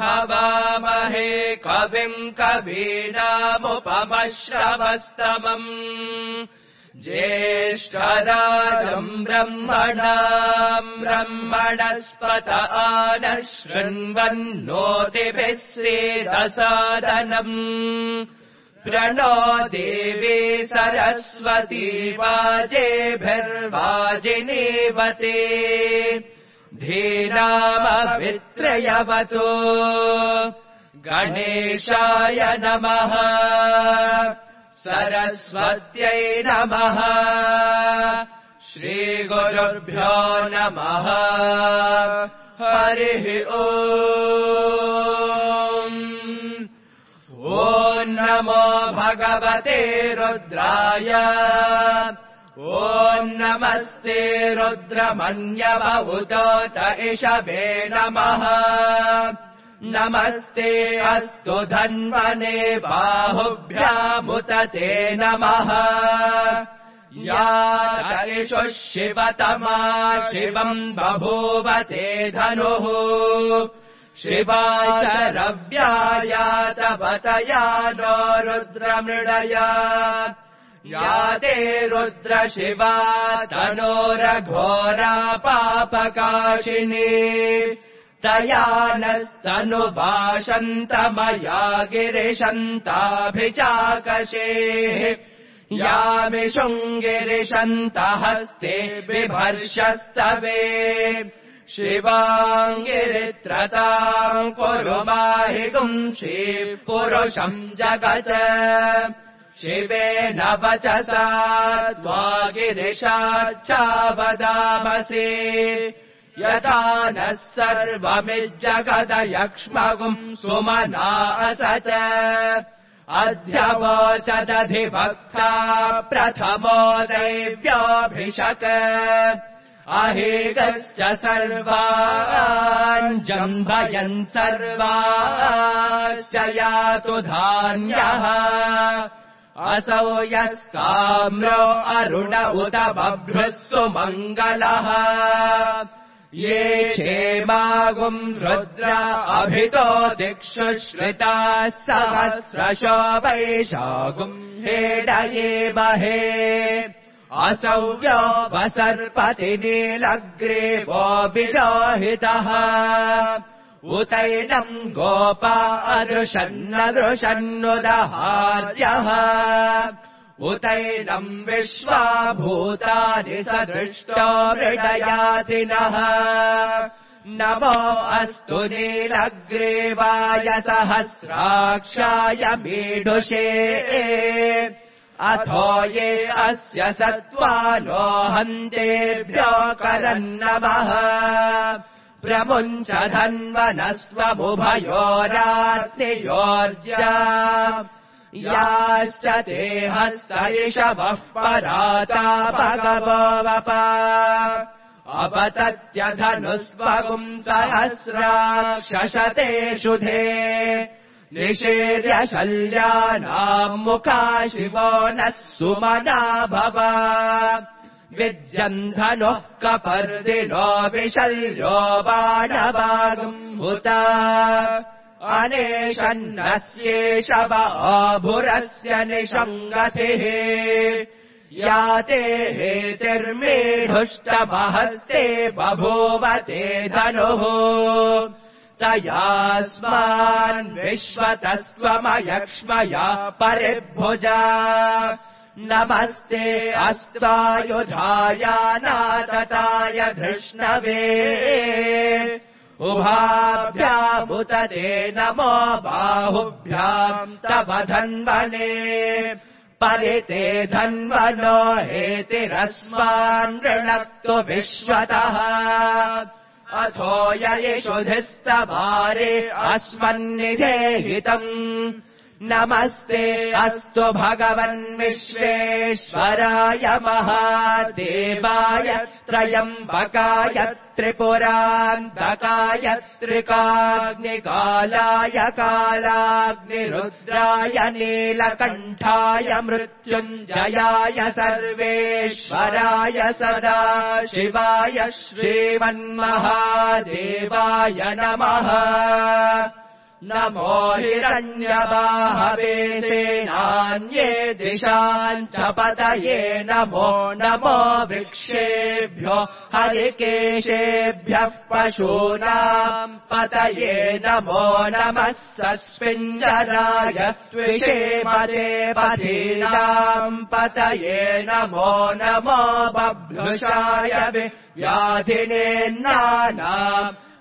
हवामहे कविम् कवीनामुपमश्रवस्तमम् ज्येष्ठराजम् ब्रह्मणस्पत नः शृण्वन्नोतिभिः श्रीरसादनम् प्रणो देवी सरस्वती वाजेभिर्वाजिनीवते धीरामभित्रयवतो गणेशाय नमः सरस्वत्यै नमः श्रीगुरुभ्यो नमः हरिः ओम् ॐ नमो भगवते रुद्राय ॐ नमस्ते रुद्रमन्यवहुतोत इषवे नमः नमस्ते अस्तु धन्वने बाहुभ्यामुत ते नमः या इषुः शिवतमा शिवम् बभूव ते धनुः शिवा शरव्याया तपतया नो रुद्रमृडया या ते रुद्र शिवा तनोरघोरा पापकाशिनी तया नस्तनुभाषन्तमया गिरिशन्ताभिचाकशेः यामिषुङ्गिरिशन्तहस्ते बिभर्षस्तवे शिवाङ्गिरित्रताम् कुरु माहि गुंषि पुरुषम् जगत् शिवेन वचसा त्वा गिरिशाच्चावदामसि यथा नः सर्वमिज्जगदयक्ष्मगुम् सुमना असत अध्यवोचदधिभक्ता प्रथमो दैव्योऽभिषक अहेगश्च सर्वान् जम्भयन् सर्वाश्च यातु धान्यः असौ यस्ताम्रो अरुण उत बभ्रुः सुमङ्गलः ये क्षेमागुम् रुद्र अभितो दिक्षु श्रिताः सहस्रशो वैशागुम् हेडयेमहे असौ यो वसर्पति नीलग्रीवो विलोहितः उतैनम् गोपा अदृशन्नदृशन्नुदहार्यः उतैनम् विश्वाभूतानि सदृष्टो मृडयातिनः नमो अस्तु नीलग्रीवाय सहस्राक्षाय मीढुषे अथो ये अस्य सत्त्वानो हन्तेभ्यो करन्नमः प्रमुञ्च धन्वनस्त्वमुभयोरात्नियोर्जा याश्च ते हस्तैषवः पराता भगवो वप अपतत्यधनुस्वगुम् सहस्राक्षशते शुधे निषेर्य शल्यानाम् मुखा शिवो नः सुमना भव विद्यन्धनुः कपर्दिनो विशल्यो बाणवागुम् हुत अनेशन्नस्येष बाभुरस्य निषङ्गतिः याते हेतिर्मेढुष्टमहस्ते बभूवते धनुः तयास्मान् विश्वतस्त्वमयक्ष्मया परिभुजा नमस्ते अस्त्वायुधायानातताय धृष्णवे उभाभ्यामुत ते नमो बाहुभ्याम् तव धन्वने परिते धन्वनो हेतिरस्मान् ऋणक्तु विश्वतः अथो ययिषुधिस्तवारे अस्मन्निधेहितम् नमस्ते अस्तु भगवन् विश्वेश्वराय महादेवाय त्रयम्बकाय त्रिपुरान्तकाय त्रिकाग्निकालाय कालाग्निरुद्राय नीलकण्ठाय मृत्युञ्जयाय सर्वेश्वराय सदा शिवाय श्रीमन्महादेवाय नमः। नमो हिरण्यबाहवे सेनान्ये दिशाम् च पतये नमो नमो वृक्षेभ्यो हरिकेशेभ्यः पशूनाम् पतये नमो नमः सस्मिञ्जराय त्विषेमते पतीनाम् पतये नमो नमो बभ्रुषाय व्याधिनेन्नानाम्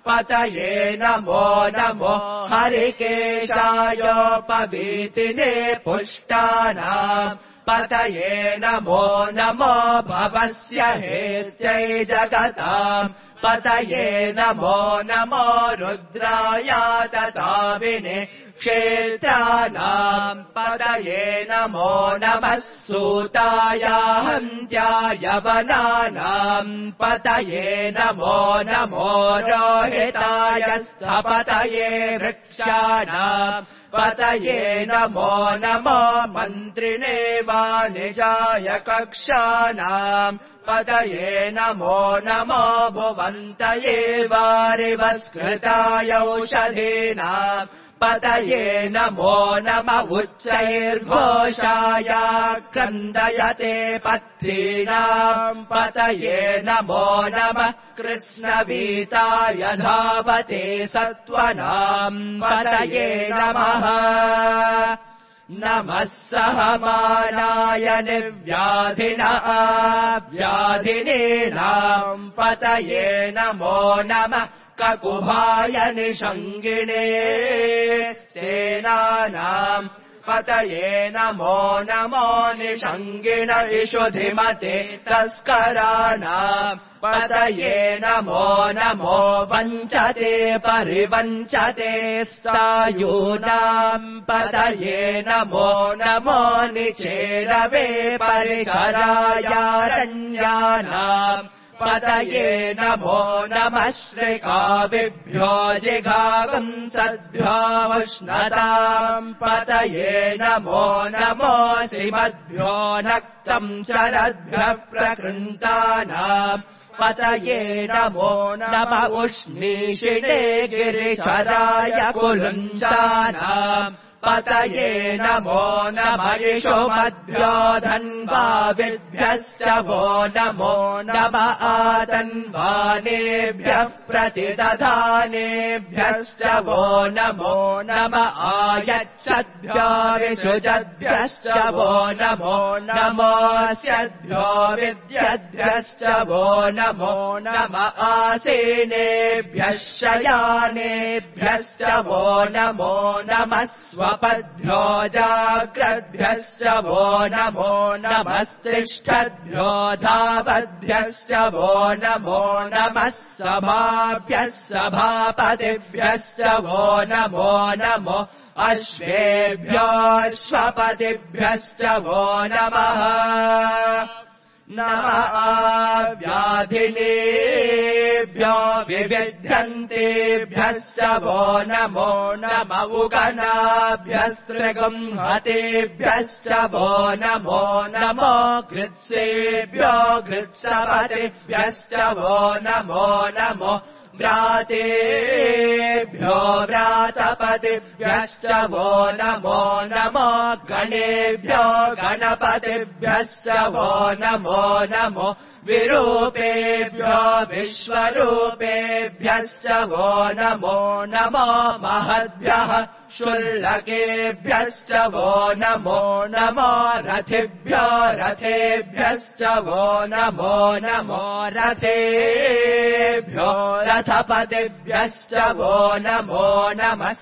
पतये नमो नमो हरिकेशायोपवीतिने पुष्टानाम् पतये नमो नमो भवस्य हेत्यै जगताम् पतये नमो नमो रुद्राय तताविने क्षेत्राणाम् पतये नमो नमः सूताय हन्त्याय वनानाम् पतये नमो नमो रोहिताय स्थपतये वृक्षाणाम् पतये नमो नमो मन्त्रिणे वाणिजाय कक्षाणाम् पतये नमो नमो भुवन्तये वारिवस्कृताय औषधीनाम् पतये नमो नम उच्चैर्घोषाय क्रन्दयते पत्रीणाम् पतये नमो नमः कृष्णवीताय धावते सत्त्वनाम् पतये नमः। नमः सहमानाय निर्व्याधिनः व्याधिनीनाम् पतये नमो नमः ककुभाय निषङ्गिणे सेनानाम् पतये नमो नमो निषङ्गिण इषुधिमते तस्कराणाम् पतये नमो नमो वञ्चते परिवञ्चते स्थायूनाम् पतये नमो नमो निचेरवे परिचरायारण्यानाम् पतये नमो नमः श्रिकाविभ्यो जिघागुंसद्भ्यो उष्णताम् पतये नमो नमो श्रीमद्भ्यो नक्तम् शरद्भ्यः प्रकृन्तानाम् पतये नमो नमः उष्णीषिणे गिरिचराय कुलुञ्चानाम् पतये नमो नमः इषुमद्भ्यो धन्वाविभ्यश्च वो नमो नमः आतन्वानेभ्यः प्रतिदधानेभ्यश्च वो नमो नमः आयच्छद्भ्यो विसृजद्भ्यश्च वो नमो नमोऽस्यद्भ्यो विद्यद्भ्यश्च वो नमो नमः आसीनेभ्यः शयानेभ्यश्च वो नमो नमः स्वपद्भ्यो जाग्रद्भ्यश्च वो नमो नमस्तिष्ठद्भ्यो धावद्भ्यश्च वो नमो नमः सभाभ्यः सभापतिभ्यश्च वो नमो नमो अश्वेभ्योऽश्वपतिभ्यश्च वो नमः। नमः व्याधिनेभ्यो विविध्यन्तेभ्यश्च वो नमो नम उगनाभ्यस्त्रिगुंहतेभ्यश्च वो नमो नमो कृत्सेभ्यो कृत्सपतिभ्यश्च वो नमो नमो व्रातेभ्यो व्रातपतिभ्यश्च वो नमो नमो गणेभ्यो गणपतिभ्यश्च वो नमो नमो विरूपेभ्यो विश्वरूपेभ्यश्च वो नमो नमो महद्भ्यः शुल्लकेभ्यश्च वो नमो नमो रथिभ्यो रथेभ्यश्च वो नमो नमो रथेभ्यो रथपतिभ्यश्च वो नमो नमः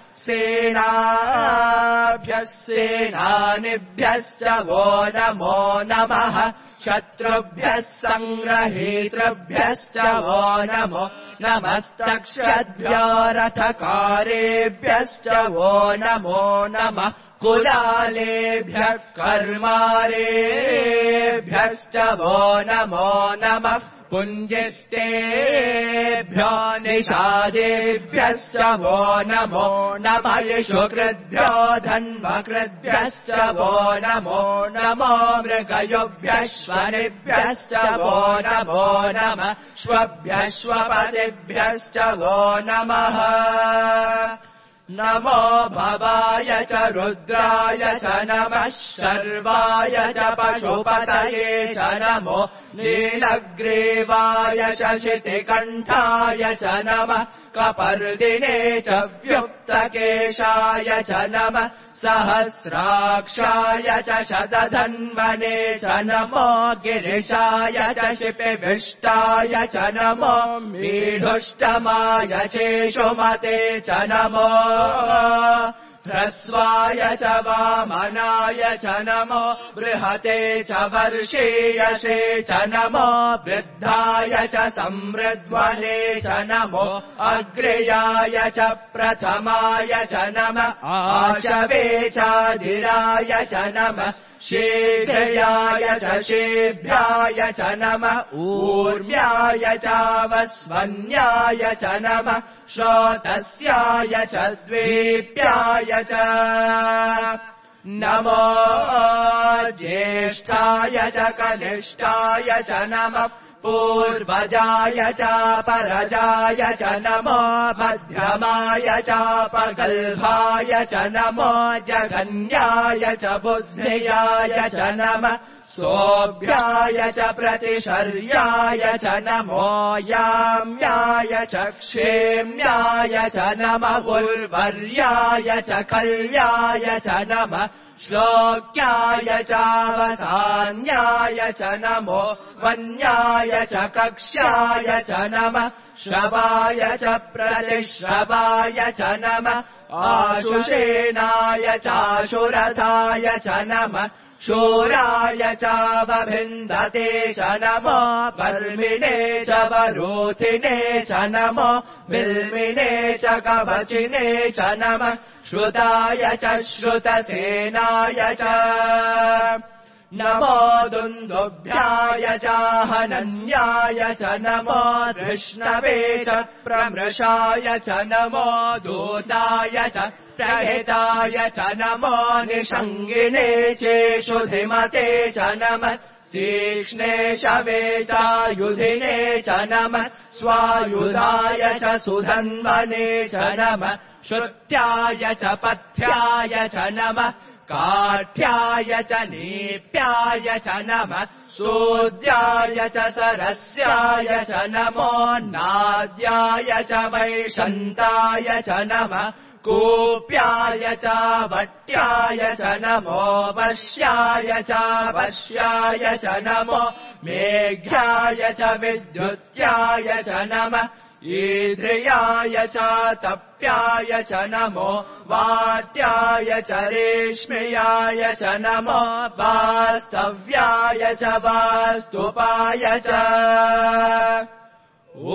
सेनाभ्यः सेनानिभ्यश्च वो नमो नमः शत्रुभ्यः सङ्ग्रहीतृभ्यश्च वो नमो नमस्तक्षद्भ्यो रथकारेभ्यश्च वो नमो नमः कुलालेभ्यः कर्मारेभ्यश्च वो नमो नमः पुञ्जिष्टेभ्यो निषादेभ्यश्च वो नमो नमः यशुकृद्भ्यो धन्वकृद्भ्यश्च वो नमो नमो मृगयुभ्यश्वनिभ्यश्च वो नमो नमः श्वभ्यश्वपतिभ्यश्च वो नमः नमो भवाय च रुद्राय च नमः शर्वाय च पशुपतये च नमो नीलग्रीवाय च शितिकण्ठाय च नमः कपर्दिने च व्युक्तकेशाय च नमः सहस्राक्षाय च शतधन्वने च नमो गिरिशाय च शिपिविष्टाय च नमो मीढुष्टमाय चेषुमते च नमो ह्रस्वाय च वामनाय च नमो बृहते च वर्षीयसे च नमो वृद्धाय च समृद्ध्वने च नमो अग्र्याय च प्रथमाय च नमः आशवे चाधिराय च नमः शीघ्रयाय च शेभ्याय च नमः ऊर्म्याय चावस्वन्याय च नमः श्रोतस्याय च द्वीप्याय च नमो ज्येष्ठाय च कनिष्ठाय च नमः पूर्वजाय चापरजाय च नमो मध्यमाय चापगल्भाय च नमो जघन्याय च बुद्धियाय च नमः सोऽभ्याय च प्रतिशर्याय च नमो याम्याय च क्षेम्याय च नमः उर्वर्याय च कल्याय च नमः श्लोक्याय चावसान्याय च नमो वन्याय च कक्ष्याय च नमः श्रवाय च प्रतिश्रवाय च नमः आशुषेणाय चाशुरथाय च नमः शूराय चावभिन्दते च नमो वर्मिणे च वरोधिने च नमो बिल्मिने च कवचिने च नमः श्रुताय च श्रुतसेनाय च नमो दुन्दुभ्याय चाहनन्याय च नमो धृष्णवे च प्रमृषाय च नमो दूताय च प्रहिताय च नमो निषङ्गिने चेषुधिमते च नमः तीक्ष्णे शवे चायुधिने च नमः स्वायुधाय च सुधन्वने च नमः श्रुत्याय च पथ्याय च नमः काठ्याय च नीप्याय च नमः सूद्याय च सरस्याय च नमो नाद्याय च वैशन्ताय च नमः कूप्याय च वट्याय च नमो वश्याय च वश्याय च नमो मेघ्याय च विद्युत्याय च नमः ईद्रियाय च तप्याय च नमो वात्याय च रेश्म्याय च नमो वास्तव्याय च वास्तुपाय च ॐ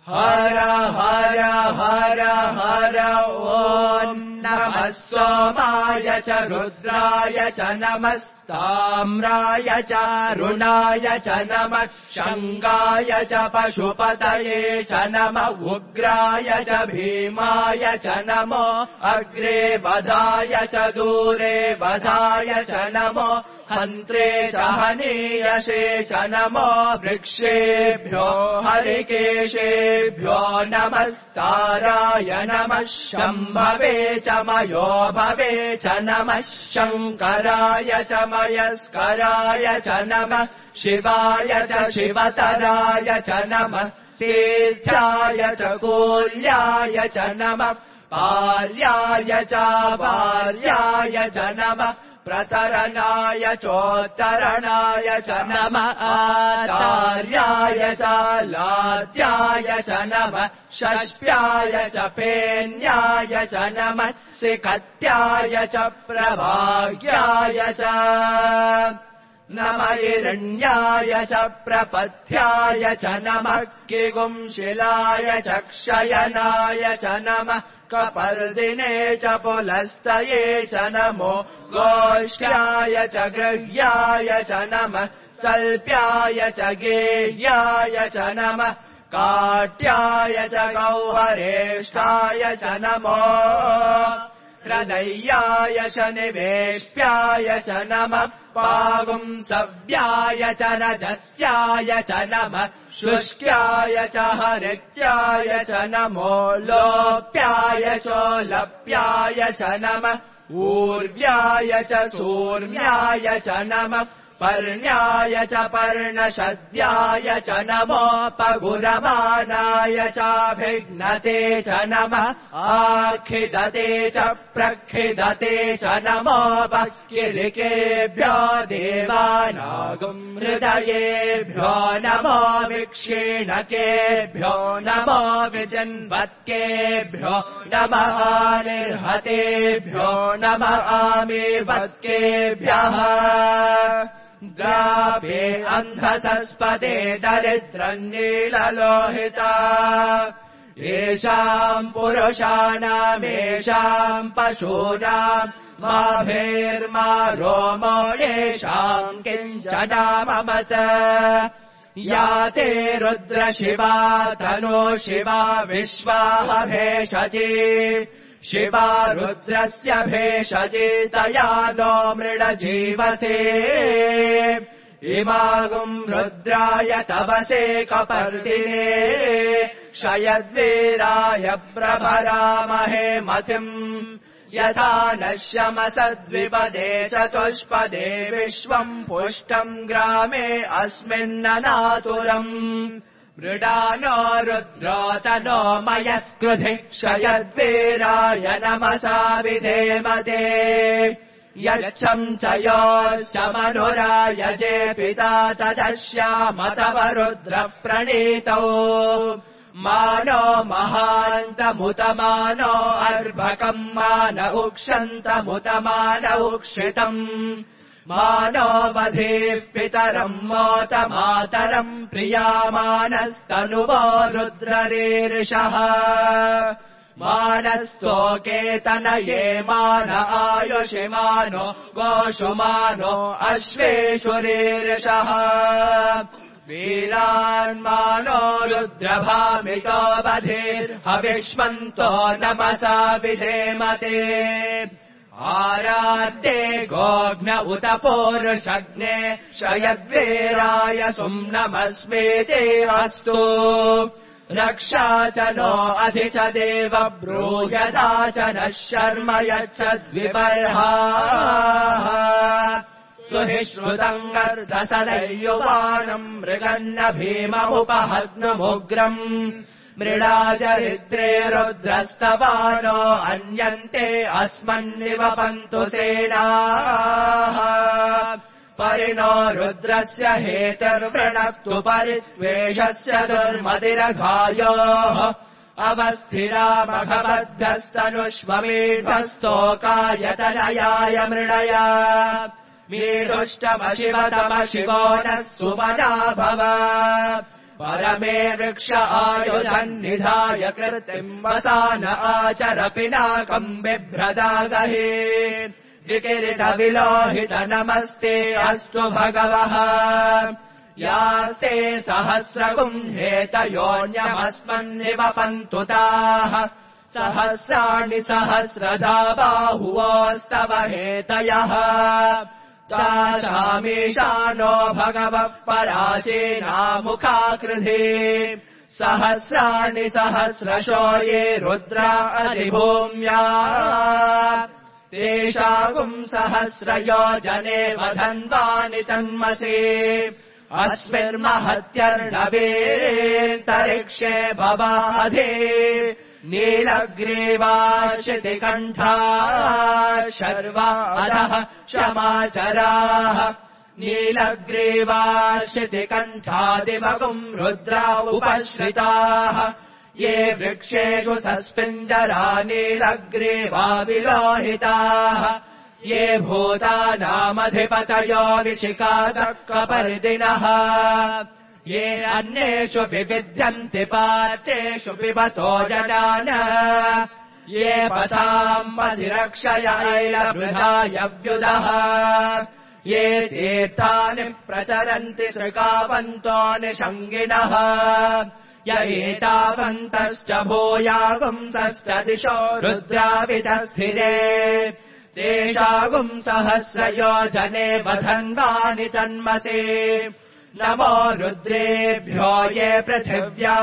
हर हर हर हर ॐ नमः सोमाय च रुद्राय च नमस्ताम्राय च रुणाय च नमः शङ्गाय च पशुपतये च नमः उग्राय च भीमाय च नमो अग्रे वधाय च दूरे वधाय च नमो हन्त्रे च हनीयसे च नमो वृक्षेभ्यो हरिकेशेभ्यो नमस्ताराय नमः शम्भवे च मयो भवे च नमः शङ्कराय च मयस्कराय च नमः शिवाय च शिवतराय च नमः तीर्थ्याय च कूल्याय च नमः पार्याय च भार्याय च नमः प्रतरणाय चोत्तरणाय च नमः आचार्याय च लाद्याय च नमः षष्प्याय च पेन्याय च नमः सिकत्याय च प्रभाग्याय च नम हिरण्याय च प्रपथ्याय च नमः किगुंशिलाय च क्षयनाय च नमः कपर्दिने च पुलस्तये च नमो गोष्ठ्याय च गृह्याय च नमः सल्प्याय च गेह्याय च नमः काट्याय च गौहरेष्ठाय च नमो हृदय्याय च निवेश्याय च नमः पागुंसव्याय च रजस्याय च नमः शुष्क्याय च हरित्याय च नमो लोप्याय चोलप्याय च नमः ऊर्व्याय च सूर्याय च नमः पर्ण्याय च पर्णशद्याय च नमो पगुरमानाय चाभिघ्नते च नमः आखिदते च प्रखिदते च नमो पक्किलिकेभ्यो देवानागुं हृदयेभ्यो नमो विक्षीणकेभ्यो नमो विजन्वत्केभ्यो नमः निर्हतेभ्यो नमः आमीवत्केभ्यः द्राभे अन्धसस्पदे दरिद्रन्नीललोहिता येषाम् पुरुषाणामेषाम् पशूनाम् माभेर्मा रोमो येषाम् किञ्चनाममत या ते रुद्रशिवा तनो शिवा विश्वाह भेषजे शिवा रुद्रस्य भेषजे तया नो मृडजीवसे इमागुम् रुद्राय तवसे कपर्दिने शयद्वीराय प्रभरामहे मतिम् यथा नश्यमसद्विपदे चतुष्पदे विश्वम् पुष्टम् ग्रामे अस्मिन्ननातुरम् मृडानो रुद्रो तनो मयस्कृधि क्षयद्वीराय नमसा विधेमते यच्छम् च योऽस्यमनुरायजे पिता तदश्याम तव रुद्रः प्रणीतौ मानो महान्तमुतमानो अर्भकम् मान उक्षन्तमुतमान उक्षितम् मानो वधेः पितरम् मोतमातरम् प्रियामानस्तनुवो रुद्ररीर्षः मानस्तोकेतनये मान आयुषिमानो गोषुमानो अश्वेषुरीर्षः वीरान्मानो रुद्रभामितो बधिर्हविष्मन्तो नमसा विधेमते आराध्ये गोघ्न उत पूरुषग्ने शयद्वीराय सुम्नमस्मेते अस्तु रक्षा च नो अधि च देव ब्रूह्यदा च नः शर्म यच्छद्विबर्हाः सुहिश्रुतम् गर्दसदैयुवानम् मृगन्न भीममुपहग्नमुग्रम् मृडाचरित्रे रुद्रस्तवानो अन्यन्ते अस्मन्निवपन्तु सेनाः परिणो रुद्रस्य हेतुर्वृणक्तु परित्वेषस्य दुर्मतिरघायोः अवस्थिरा भगवद्भ्यस्तनुष्वमीढस्तोकायतनयाय मृडया मीढुष्टमशिवतमशिवो नः सुमना भव परमे वृक्ष आयुधन्निधाय कृतिम् वसान आचर पिनाकम् बिभ्रदागहे विकिरितविलोहित नमस्ते अस्तु भगवः यास्ते सहस्रगुम्हेतयोऽन्यमस्मन्निवपन्तु ताः सहस्राणि सहस्रधा बाहुवोस्तव हेतयः तासामीशानो भगवः परासेनामुखाकृधे सहस्राणि सहस्रशो ये रुद्रा अधिभूम्या तेषागुम् सहस्रयोजने वधन्वानि तन्मसे अस्मिन्महत्यर्णवेन्तरिक्षे भवाधे नीलग्रीवाशितिकण्ठा शर्वा अधः क्षमाचराः नीलग्रीवाशितिकण्ठादिमगुम् रुद्रा उपश्रिताः ये वृक्षेषु सस्पिञ्जरा नीलग्रीवा विलोहिताः ये भूतानामधिपतयो विशिखासकपर्दिनः ये अन्येषु विविध्यन्ति पातेषु पिबतो जनान ये पथाम् अधिरक्षयैलवृधायव्युदः ये तीर्थानि प्रचरन्ति सृगावन्तो निषङ्गिनः य एतावन्तश्च भूयागुंसश्च दिशो रुद्रावितस्थिरे तेषागुंसहस्रयोजने वधन्वानि तन्मसे नमो रुद्रेभ्यो ये पृथिव्या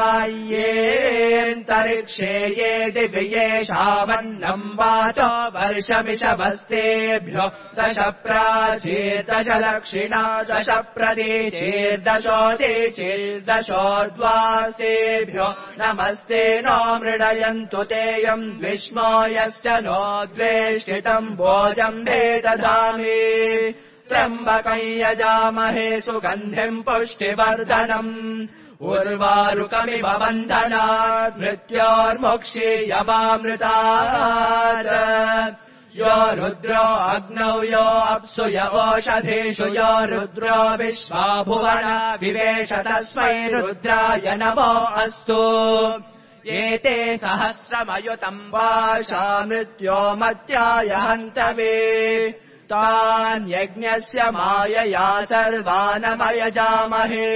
येऽन्तरिक्षे ये दिवि येषामन्नम् वातो वर्षमिषभस्तेभ्यो दश प्राचीर्दश दक्षिणा दश प्रतीचीर्दशोदीचीर्दशोर्ध्वास्तेभ्यो नमस्ते नो मृडयन्तु तेयम् विष्मो यस्य नो द्वेष्टितम् भोजम् दधामि त्र्यम्बकम् यजामहे सुगन्धिम् पुष्टिवर्धनम् उर्वारुकमिव बन्धनात् मृत्योर्मुक्षीयवामृतात् यो रुद्रो अग्नौ यो अप्सु य ओषधीषु यो रुद्रो विश्वा भुवना विवेश तस्मै रुद्राय नमो अस्तु एते सहस्रमयुतम् वाशा मृत्यो मत्याय हन्तवे तान् यज्ञस्य मायया सर्वानमयजामहे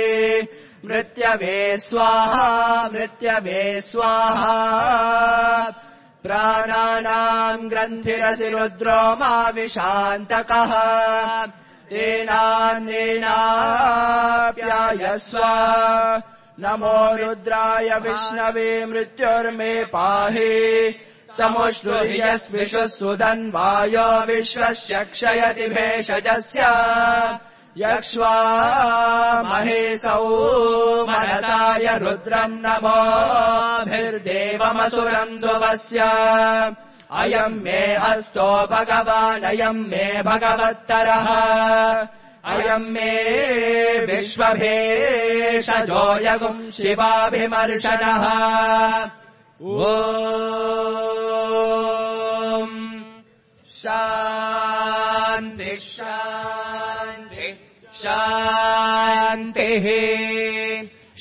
मृत्यवे स्वाहा मृत्यवे स्वाहा प्राणानाम् ग्रन्थिरसि रुद्रो माविशान्तकः तेनान्येनाप्यायस्व नमो रुद्राय विष्णवे मृत्युर्मे पाहि तमुष्णुर्यस्विषु सुधन्वायो विश्वस्य क्षयति भेषजस्य यक्ष्वा महेशौ मनसाय रुद्रम् नमोभिर्देवमसुरम् ध्रुवस्य अयम् मे हस्तो भगवान् अयम् मे भगवत्तरः अयम् मे विश्वभेषजो यगुम् शिवाभिमर्शनः ॐ शान्ति शान्ति शान्तिः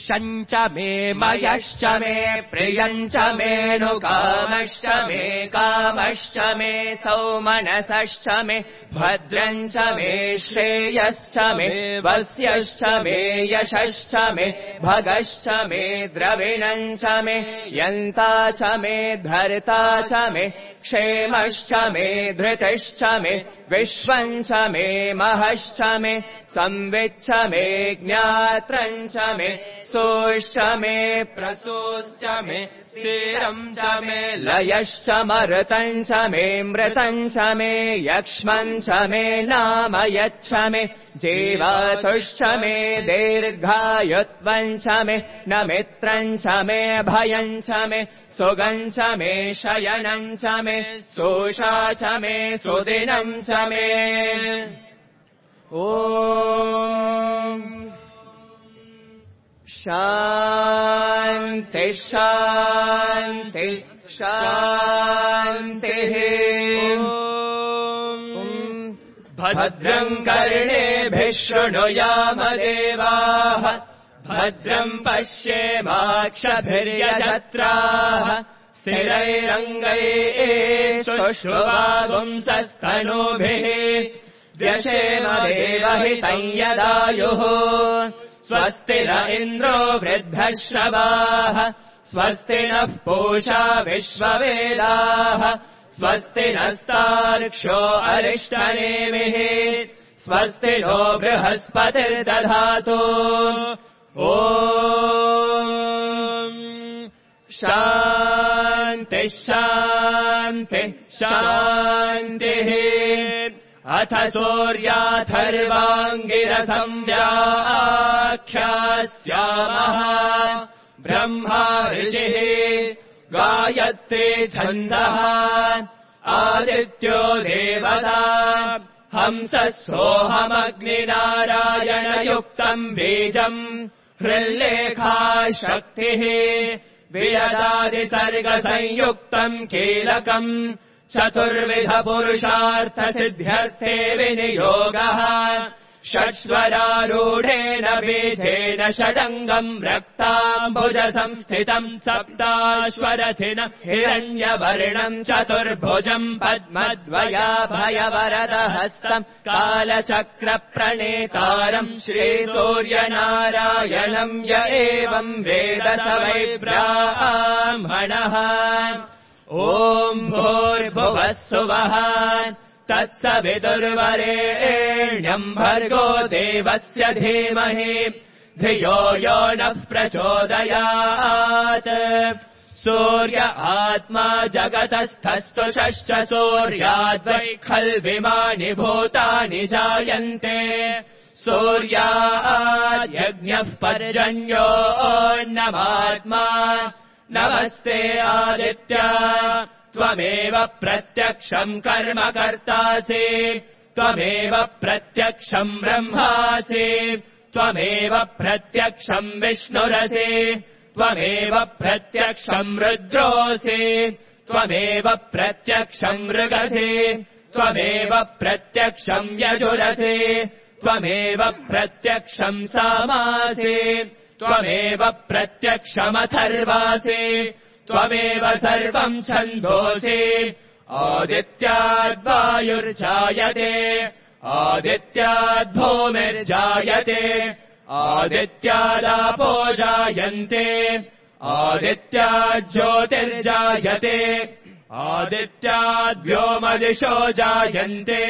शञ्च मे मयश्च मे प्रियञ्च मेऽनुकामश्च मे कामश्च मे सौमनसश्च मे भद्रञ्च मे श्रेयश्च मे वस्यश्च मे यशश्च मे भगश्च मे द्रविणञ्च मे यन्ता च मे धर्ता च मे क्षेमश्च मे धृतिश्च मे विश्वञ्च मे महश्च मे संविच्च मे ज्ञात्रञ्च मे सोश्च मे प्रसूश्च मे स्थिरम् च मे लयश्च मरुतञ्च मे मृतञ्च मे यक्ष्मञ्च मे नाम यच्च मे जीवतुश्च मे दीर्घायुत्वञ्च मे न मित्रञ्च मे भयञ्च मे सुगञ्च मे शयनञ्च मे सोषा च मे सुदिनम् च मे ॐ शान्ति शान्ति शान्तिः भद्रम् कर्णेभिः शृणुयाम देवाः भद्रम् पश्येमाक्षभिर्यजत्राः स्थिरैरङ्गैः शुश्रुवागुंसस्तनूभिः व्यशेम देवहितम् यदायुः स्वस्ति न इन्द्रो वृद्धश्रवाः स्वस्ति नः पूषा विश्ववेदाः स्वस्ति नस्तार्क्ष्यो अरिष्टनेमिः स्वस्ति नो बृहस्पतिर्दधातु ॐ शान्ति शान्ति शान्तिः अथ सूर्याथर्वाङ्गिरसं व्याख्यास्यामः ब्रह्मा ऋषिः गायत्री छन्दः आदित्यो देवता हंसः सोऽहमग्निनारायणयुक्तम् बीजम् हृल्लेखा शक्तिः वियदादिसर्गसंयुक्तम् कीलकम् चतुर्विधपुरुषार्थसिद्ध्यर्थे विनियोगः षट्स्वरारूढेन बीजेन षडङ्गम् रक्ताम्बुजसंस्थितम् सप्ताश्वरथिन हिरण्यवर्णम् चतुर्भुजम् पद्मद्वयाभयवरदहस्तम् कालचक्रप्रणेतारम् श्रीसूर्यनारायणम् य एवम् वेद स वै ब्राह्मणः ॐ भूर्भुवः सुवः तत्सवितुर्वरेण्यम् भर्गो देवस्य धीमहि धियो यो नः प्रचोदयात् सूर्य आत्मा जगतस्थस्तु षष्ठ सूर्याद्वै खल्विमानि भूतानि जायन्ते सूर्याद्यज्ञः पर्जन्योऽन्नमात्मा नमस्ते आदित्य त्वमेव प्रत्यक्षम् कर्म कर्तासि त्वमेव प्रत्यक्षम् ब्रह्मासि त्वमेव प्रत्यक्षम् विष्णुरसि त्वमेव प्रत्यक्षम् रुद्रोऽसि त्वमेव प्रत्यक्षम् मृगसि त्वमेव प्रत्यक्षम् यजुरसि त्वमेव प्रत्यक्षम् सामासि त्वमेव प्रत्यक्षमथर्वासि त्वमेव सर्वम् छन्दोसि आदित्याद्वायुर्जायते आदित्याद्भूमिर्जायते आदित्यादापो जायन्ते आदित्याज्योतिर्जायते आदित्याद्व्योमदिशो जायन्ते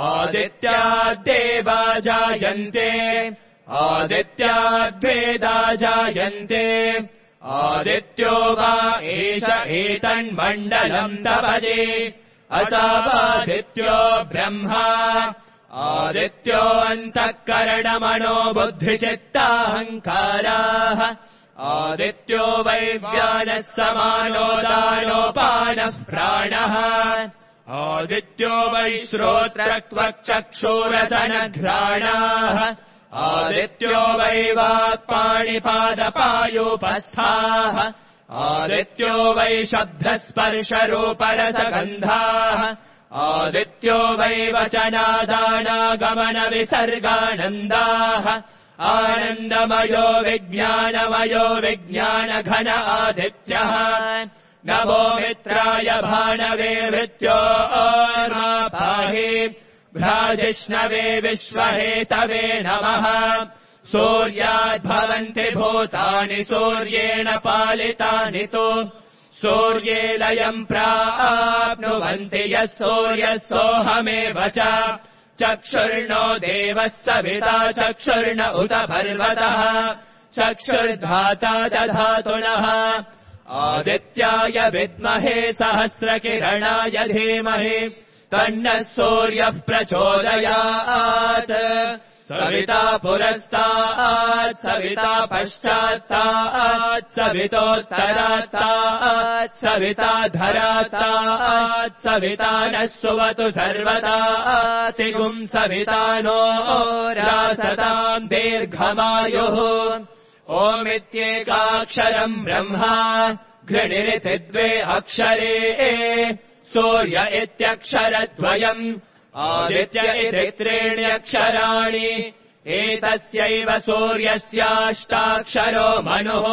आदित्याद्देवा जायन्ते आदित्याद्वेदा जायन्ते आदित्यो वा एष एतन्मण्डलम् तपदे असावादित्यो ब्रह्मा आदित्यो अन्तःकरणमनो बुद्धिचित्ताहङ्काराः आदित्यो वैव्यानः समानो दानोपानः प्राणः आदित्यो वै श्रोत्रत्वक्चक्षुरसनघ्राणाः आदित्यो वै वाक्पाणिपादपायोपस्थाः आदित्यो वै शब्दस्पर्शरूपरसगन्धाः आदित्यो वै वचनादानागमनविसर्गानन्दाः आनन्दमयो विज्ञानघन आदित्यः नमो मित्राय भाणवे मृत्योर्मा पाहि भ्राजिष्णवे विश्वहेतवे नमः सूर्याद्भवन्ति भूतानि सूर्येण पालितानि तु सूर्ये लयम् प्राप्नुवन्ति यः सूर्यः सोऽहमेव च चक्षुर्नो देवः सविता चक्षुर्न उत पर्वतः चक्षुर्धाता दधातुनः आदित्याय विद्महे सहस्रकिरणाय धीमहि तन्नः सूर्यः प्रचोदयात् सविता पुरस्तात् सविता पश्चात्तात् सवितोत्तरात्तात् सविता धरात्तात् सविता नः सुवतु सर्वदातिगुम् सविता नो रासताम् दीर्घमायुः ओमित्येकाक्षरम् ब्रह्मा घृणिरिति द्वे अक्षरे सूर्य इत्यक्षरद्वयम् आदित्य इति त्रीण्यक्षराणि एतस्यैव सूर्यस्याष्टाक्षरो मनुः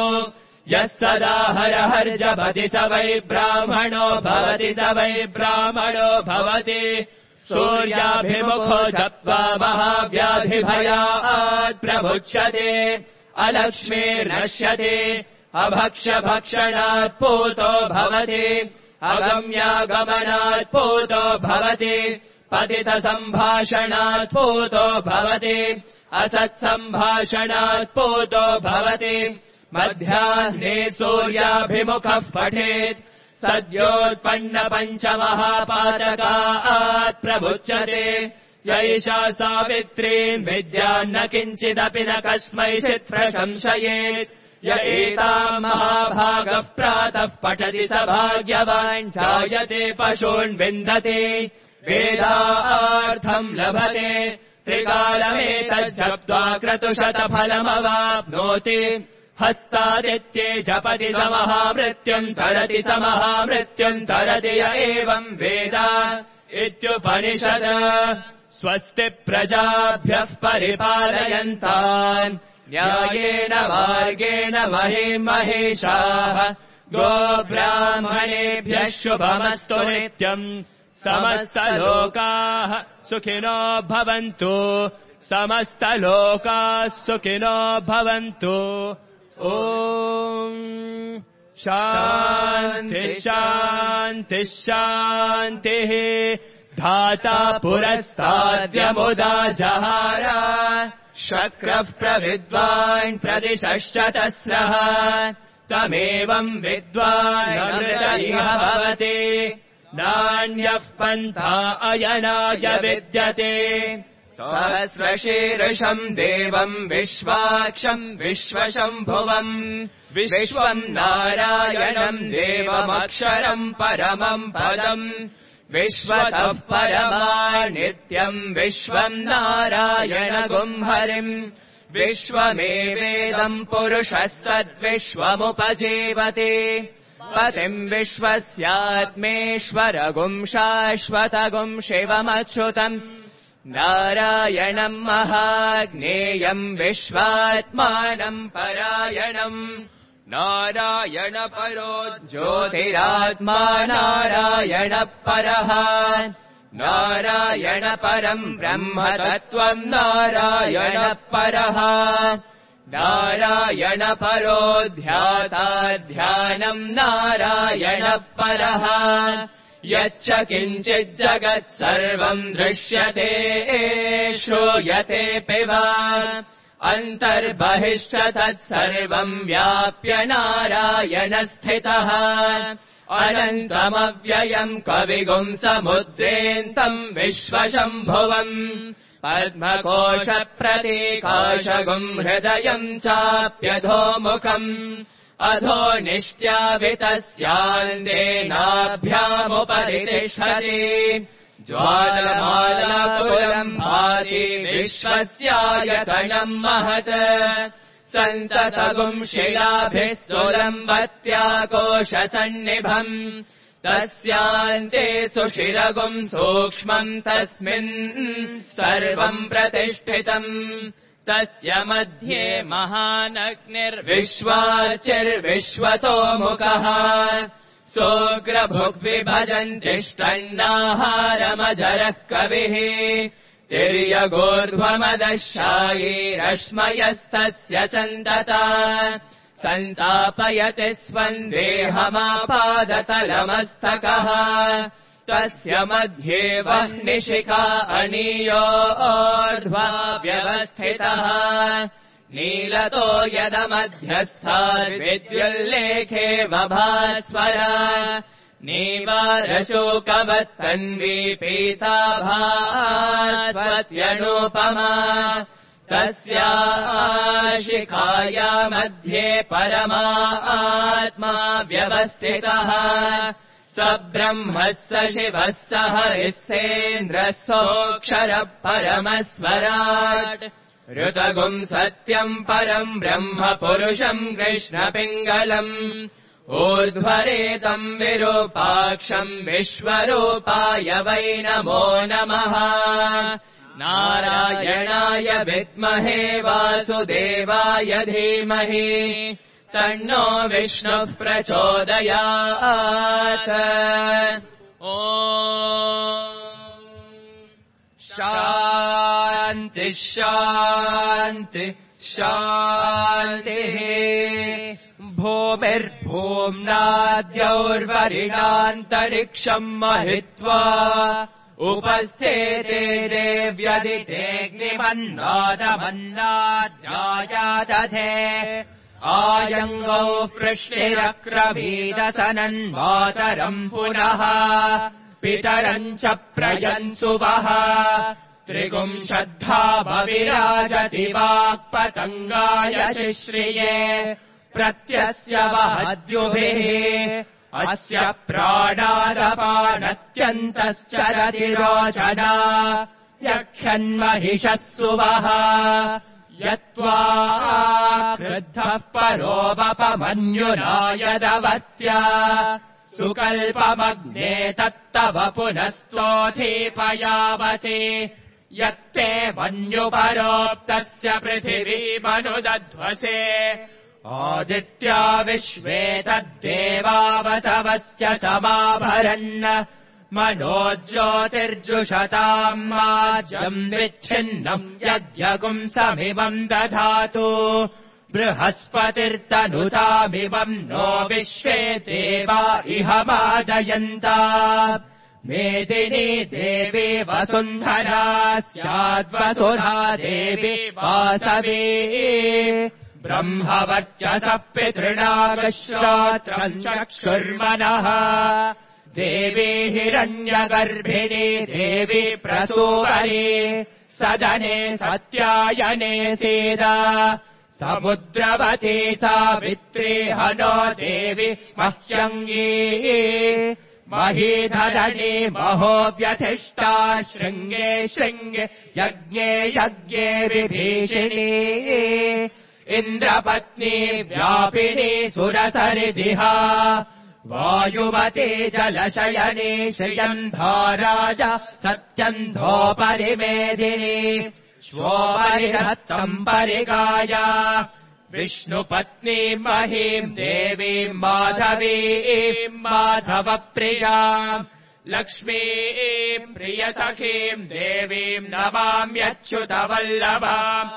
यः सदा हरहर्जपति स वै ब्राह्मणो भवति स वै ब्राह्मणो भवति सूर्याभिमुखो जप्त्वा महाव्याधिभयात् प्रमुच्यते अलक्ष्मीर्नश्यते अभक्ष्यभक्षणात् पूतो भवति अगम्यागमनात् पूतो भवति पतितसम्भाषणात् पूतो भवति असत्सम्भाषणात् पूतो भवति मध्याह्ने सूर्याभिमुखः पठेत् सद्योत्पन्नपञ्चमहापातकात् प्रमुच्यते यैषा सावित्रीम् विद्यान्न किञ्चिदपि न कस्मैचित् प्रशंसयेत् य एताम् महाभागः प्रातः पठति स भाग्यवान् जायते पशून् विन्दते वेदार्थम् लभते त्रिकालमेतज्जप्त्वा क्रतुशतफलमवाप्नोति हस्तादित्ये जपति समहामृत्युम् तरति समहामृत्युम् तरति य एवम् वेद इत्युपनिषद स्वस्ति प्रजाभ्यः परिपालयन्तान् न्यायेन मार्गेण महेशाः गोब्राह्मणेभ्यः शुभमस्तु नित्यम् समस्तलोकाः सुखिनो भवन्तु समस्तलोकाः सुखिनो भवन्तु ॐ शान्तिः शान्तिः शान्तिः धाता पुरस्ताद्यमुदा जहार शक्रः प्रविद्वान् प्रदिशश्च तस्रः तमेवम् विद्वान् अमृतैः भवति नान्यः पन्था अयनाय विद्यते सहस्रशीर्षम् देवम् विश्वाक्षम् विश्वशम्भुवम् विश्वम् नारायणम् देवमक्षरम् परमम् पदम् विश्वतः परमा नित्यम् विश्वम् नारायणगुम् हरिम् विश्वमेवेदम् पुरुषस्तद्विश्वमुपजीवति पतिम् विश्वस्यात्मेश्वरगुम् शाश्वतगुम् शिवमच्युतम् नारायणम् महाज्ञेयम् विश्वात्मानम् परायणम् नारायणपरो ज्योतिरात्मा नारायणपरः नारायणपरम् ब्रह्मतत्त्वम् नारायणपरः नारायणपरो ध्याता ध्यानम् नारायणपरः यच्च किञ्चिज्जगत् सर्वम् दृश्यते श्रूयतेऽपि वा अन्तर्बहिश्च तत्सर्वम् व्याप्य नारायणस्थितः अनन्तमव्ययम् कविगुम् समुद्रेऽन्तम् विश्वशम्भुवम् पद्मकोशप्रतीकाशगुम् हृदयम् चाप्यधोमुखम् अधो निष्ट्यावितस्यान्देनाभ्यामुपरितिष्ठति ज्वालमालापुरम् भाति विश्वस्यायतनम् महत् सन्ततगुम् शिलाभिस्तुलम् वत्याकोशसन्निभम् तस्यान्ते सुशिरगुम् सूक्ष्मम् तस्मिन् सर्वम् प्रतिष्ठितम् तस्य मध्ये महानग्निर्विश्वाचिर्विश्वतोमुखः सोऽग्रभुग्विभजन्तिष्ठन्नाहारमजरः कविः तिर्यगोर्ध्वमदशायी रश्मयस्तस्य सन्तता सन्तापयति स्वन्देहमापादतलमस्तकः तस्य मध्ये वह्निशिखा अनीयोर्ध्वा व्यवस्थितः नीलतो यदमध्यस्थाद्विद्युल्लेखे वभास्वर नीवारशोकवत्तन्वी पीताभास्वत्यनूपमा तस्या शिखाया मध्ये परमात्मा व्यवस्थितः स ब्रह्मः स शिवः स हरिः सेन्द्रः सोऽक्षरः परमस्वराट् ऋतगुम् सत्यम् परम् ब्रह्म पुरुषम् कृष्णपिङ्गलम् ऊर्ध्वरेतम् विरूपाक्षम् विश्वरूपाय वै नमो नमः नारायणाय विद्महे वासुदेवाय धीमहि तन्नो विष्णुः प्रचोदयात् ॐ शान्ति शान्ति शान्तिः भूमिर्भूम्नाद्यौर्वरिणान्तरिक्षम् महित्वा उपस्थेते देव्यदितेऽग्निमन्नादमन्नाद्यायादधे आयङ्गौ पृष्टिरक्रमीदसनन्मातरम् पुनः पितरम् च प्रयन्सुवः त्रिगुंशद्धावविराजति वाक्पतङ्गाय शिश्रिये प्रत्यस्य वहद्युभिः अस्य प्राणादपानत्यन्तश्चरति रोचना यक्षन्महिषः सुवः यत्त्वा क्रुद्धः परोपमन्युना यदवत्या सुकल्पमग्ने तत्तव पुनस्तोऽधिपयावसे यत्ते मन्युपरोक्तस्य पृथिवीमनुदध्वसे आदित्या विश्वे तद्देवावसवश्च समाभरन् मनोज्योतिर्जुषताम् माज्यम् विच्छिन्नम् यज्ञगुंसमिमम् दधातु बृहस्पतिर्तनुतामिमम् नो विश्वे देवा इह मादयन्ता मेदिनी देवी वसुन्धरा स्याद्वसुधा देवी वासवी ब्रह्मवर्चसः पितृणागश्रोत्रम् चक्षुर्मनः देवी हिरण्यगर्भिणी देवी प्रसूवरी सदने सत्यायने सीदा समुद्रवती सावित्री हनो देवी मह्यङ्गी महीधरणी महो व्यथिष्ठा शृङ्गे शृङ्गे यज्ञे यज्ञे विभीषिणी इन्द्रपत्नी व्यापिनी सुरसरिदिहा वायुमती जलशयनी श्रियन्धोराजा सत्यन्धोपरिमेदिनी श्वोपरिहत्तम् परिगाया विष्णुपत्नी महीम् देवीम् माधवीम् माधवप्रियाम् लक्ष्मीम् प्रियसखीम् देवीम् नमाम्यच्युतवल्लभाम्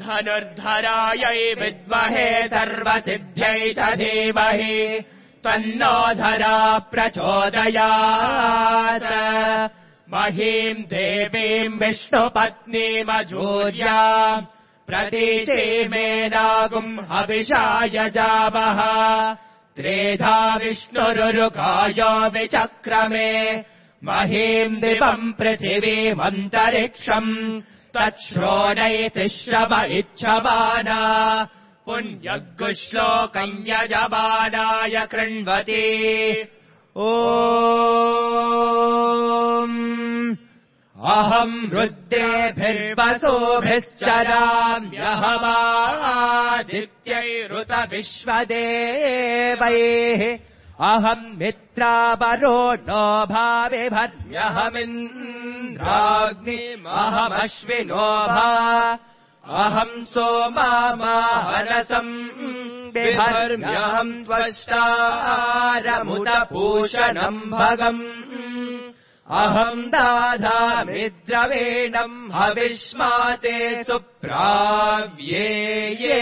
धनुर्धरायै विद्महे सर्वसिद्ध्यै च धीमहि तन्नो धरा प्रचोदयात् महीम् देवीम् विष्णुपत्नीमजूर्याम् प्रतीचीमेनागुम् हविषा यजामः त्रेधा विष्णुरुरुकायो विचक्रमे महीम् दिवम् पृथिवीमन्तरिक्षम् तच्छ्रोणैति श्रव इच्छमाना पुण्यगुश्लोकम् यजमानाय कृण्वति अहम् रुद्रेभिर्वसोभिश्चराम्यहमादित्यैरुत विश्वदेवैः अहम् मित्रावरो नो भाविभर्म्यहमिन्द्राग्निमहमश्विनो भा अहम् सोमामाहरसम् बिभर्म्यहम् त्वष्टारमुदपूषणम् भगम् अहम् दाधामि द्रवेणम् हविष्माते सुप्राव्ये ये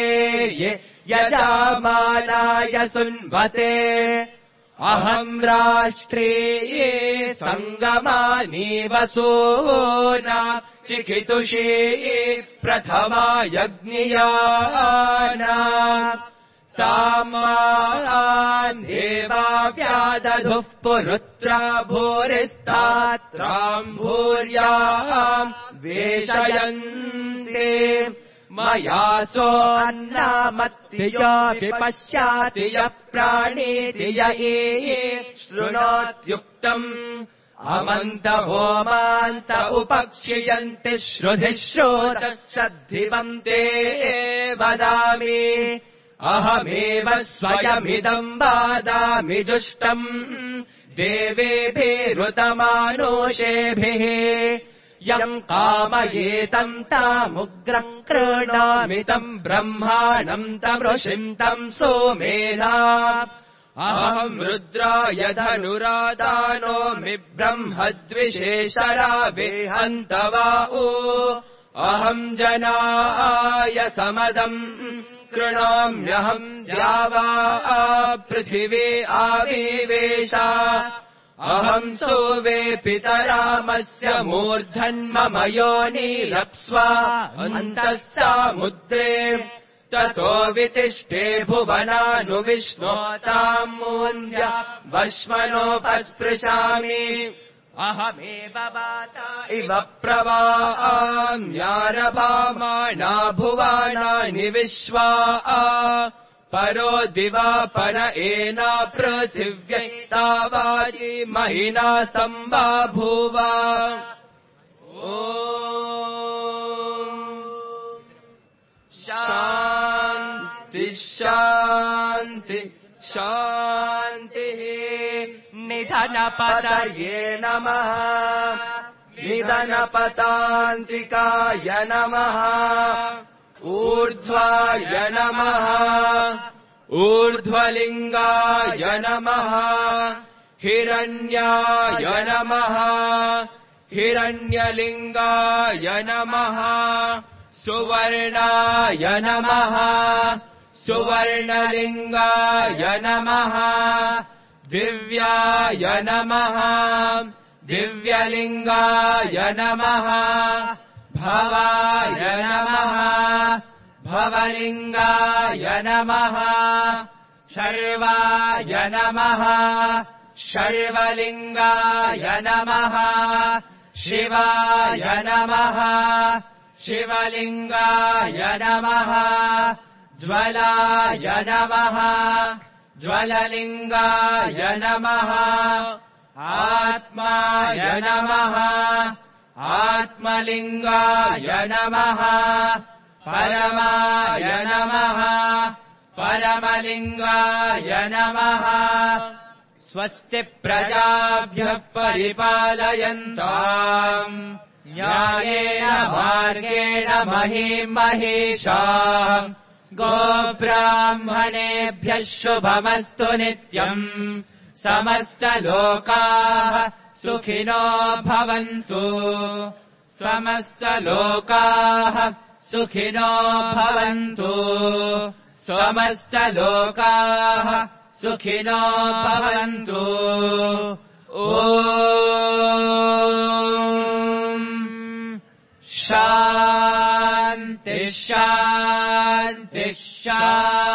ये यजामानाय सुन्वते अहम् राष्ट्रिये सङ्गमानि वसूना चिकितुषी प्रथमा यज्ञियाना तामान् देवा व्यादधुः पुरुत्रा भूरिस्तात्राम् भूर्याम् वेशयन्ते मया सो अन्नामत्तियो विपश्याति यः प्राणीति य शृणोत्युक्तम् अमन्त होमान्त उपक्षियन्ति श्रुधिः श्रोतश्रद्धिवम् ते वदामि अहमेव स्वयमिदम् वादामि जुष्टम् देवेभिरुतमानुषेभिः यम् कामयेतम् तामुग्रम् कृणामि तम् ब्रह्माणम् तमृषिम् तम् सोमेधा अहम् रुद्राय धनुरादानोऽमि ब्रह्मद्विषेशरावेहन्तवाओ अहम् जनाय समदम् कृणोम्यहम् द्यावा पृथिवी आविवेशा अहम् सोवे पितरामस्य मूर्धन्मम योनिलप्स्वा अन्तः सामुद्रे ततो वितिष्ठे भुवनानुविष्णोताम् मून्द्य वश्मनोपस्पृशामि अहमेव वाता इव प्रवाम्यारभामाणा भुवानानि विश्वा परो दिवापर एना पृथिव्यै तावाजी महिना सम्बाभूवा शान्ति शान्ति शान्तिः निधनपतये नमः निधनपतान्तिकाय नमः ऊर्ध्वाय नमः ऊर्ध्वलिङ्गाय नमः हिरण्याय नमः हिरण्यलिङ्गाय नमः सुवर्णाय नमः सुवर्णलिङ्गाय नमः दिव्याय नमः दिव्यलिङ्गाय नमः भवाय नमः भवलिङ्गाय नमः शर्वाय नमः शर्वलिङ्गाय नमः शिवाय नमः शिवलिङ्गाय नमः ज्वलाय नमः ज्वललिङ्गाय नमः आत्माय नमः आत्मलिङ्गाय नमः परमाय नमः परमलिङ्गाय नमः स्वस्ति प्रजाभ्यः परिपालयन्ताम् न्यायेन मार्गेण महीं महिषाः गोब्राह्मणेभ्यः शुभमस्तु नित्यम् समस्तलोकाः सुखिनो भवन्तु समस्तलोकाः सुखिनो भवन्तु समस्तलोकाः सुखिनो भवन्तु ॐ शान्ति शान्ति शान्ति